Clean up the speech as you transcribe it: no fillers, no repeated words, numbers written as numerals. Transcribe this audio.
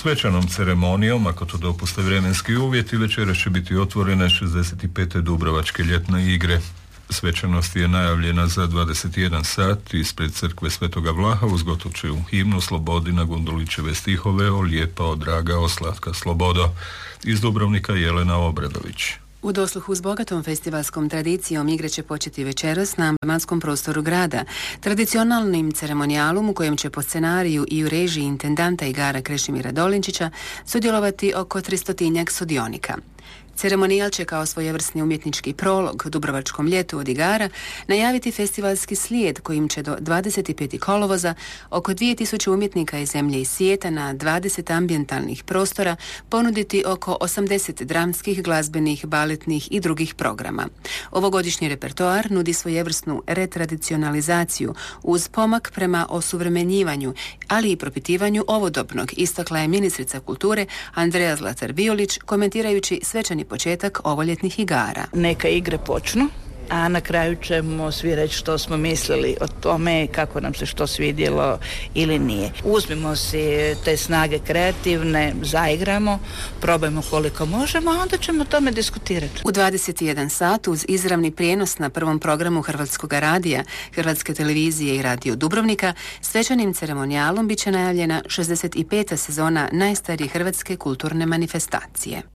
Svečanom ceremonijom, ako to dopuste vremenski uvjeti, večeras će biti otvorene 65. Dubrovačke ljetne igre. Svečanost je najavljena za 21 sat ispred crkve Svetoga Vlaha uz gotovčevu himnu Slobodi na Gundulićeve stihove o lijepa, o draga, o slatka slobodo. Iz Dubrovnika Jelena Obradović. U dosluhu s bogatom festivalskom tradicijom igre će početi večeras na amblematskom prostoru grada, tradicionalnim ceremonijalom u kojem će po scenariju i u režiji intendanta igara Krešimira Dolinčića sudjelovati oko 300 sudionika. Ceremonijal će kao svojevrsni umjetnički prolog Dubrovačkom ljetu od igara najaviti festivalski slijed kojim će do 25. kolovoza oko 2000 umjetnika iz zemlje i svijeta na 20 ambijentalnih prostora ponuditi oko 80 dramskih, glazbenih, baletnih i drugih programa. Ovogodišnji repertoar nudi svojevrsnu retradicionalizaciju uz pomak prema osuvremenjivanju, ali i propitivanju ovodobnog, istakla je ministrica kulture Andreja Zlatar-Violić komentirajući svečani početak ovoljetnih igara. Neka igre počnu, a na kraju ćemo svi reći što smo mislili o tome, kako nam se što svidjelo ili nije. Uzmimo si te snage kreativne, zaigramo, probajmo koliko možemo, a onda ćemo o tome diskutirati. U 21 sat uz izravni prijenos na prvom programu Hrvatskog radija, Hrvatske televizije i Radio Dubrovnika, svečanim ceremonijalom bit će najavljena 65. sezona najstarije hrvatske kulturne manifestacije.